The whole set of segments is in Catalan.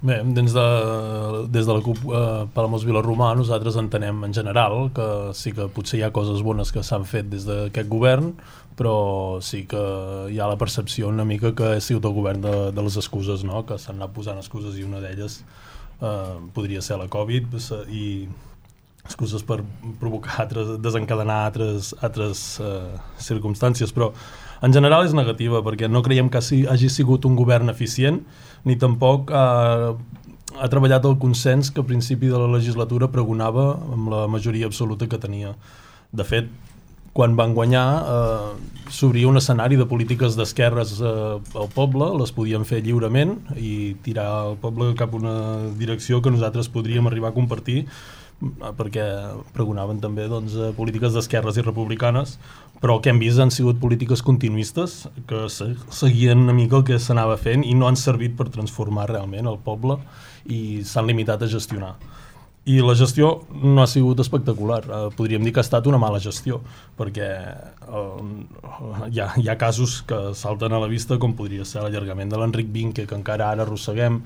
Bé, des de la CUP Palamós Vilarromà nosaltres entenem en general que sí que potser hi ha coses bones que s'han fet des d'aquest govern, però sí que hi ha la percepció una mica que ha sigut el govern de les excuses, no? Que s'han anat posant excuses i una d'elles podria ser la Covid i excuses per provocar desencadenar altres circumstàncies, però en general és negativa perquè no creiem que hagi sigut un govern eficient ni tampoc ha treballat el consens que a principi de la legislatura pregonava amb la majoria absoluta que tenia. De fet, quan van guanyar s'obria un escenari de polítiques d'esquerres al poble, les podien fer lliurement i tirar el poble cap a una direcció que nosaltres podríem arribar a compartir, perquè pregonaven també polítiques d'esquerres i republicanes, però el que hem vist han sigut polítiques continuistes que seguien una mica el que s'anava fent i no han servit per transformar realment el poble i s'han limitat a gestionar. I la gestió no ha sigut espectacular, podríem dir que ha estat una mala gestió, perquè hi ha casos que salten a la vista, com podria ser l'allargament de l'Enric Vinque, que encara ara arrosseguem,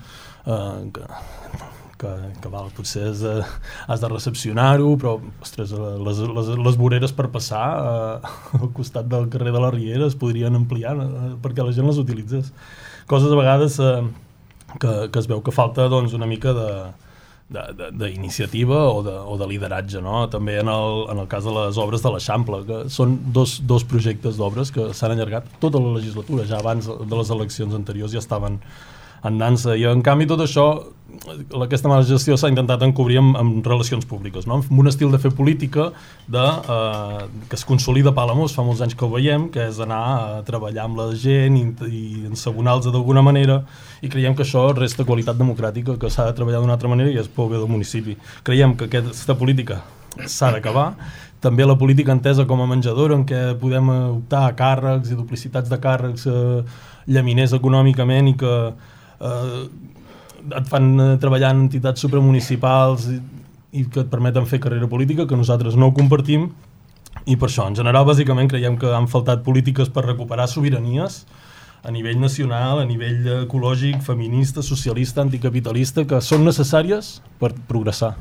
que potser has de recepcionar-ho, però ostres, les voreres per passar al costat del carrer de la Riera es podrien ampliar perquè la gent les utilitzés. Coses a vegades que es veu que falta una mica d'iniciativa o de lideratge, no? També en el cas de les obres de l'Eixample, que són dos projectes d'obres que s'han allargat tota la legislatura, ja abans de les eleccions anteriors ja estaven en dansa, i en canvi tot això, aquesta mala gestió s'ha intentat encobrir amb relacions públiques, no? Amb un estil de fer política que es consolida a Palamós, fa molts anys que ho veiem, que és anar a treballar amb la gent i ensabonar-los d'alguna manera, i creiem que això resta qualitat democràtica, que s'ha de treballar d'una altra manera i és pel bé del municipi. Creiem que aquesta política s'ha d'acabar, també la política entesa com a menjadora, en què podem optar a càrrecs i duplicitats de càrrecs llaminers econòmicament i que et fan treballar en entitats supramunicipals i que et permeten fer carrera política, que nosaltres no ho compartim, i per això, en general, bàsicament creiem que han faltat polítiques per recuperar sobiranies a nivell nacional, a nivell ecològic, feminista, socialista, anticapitalista, que són necessàries per progressar.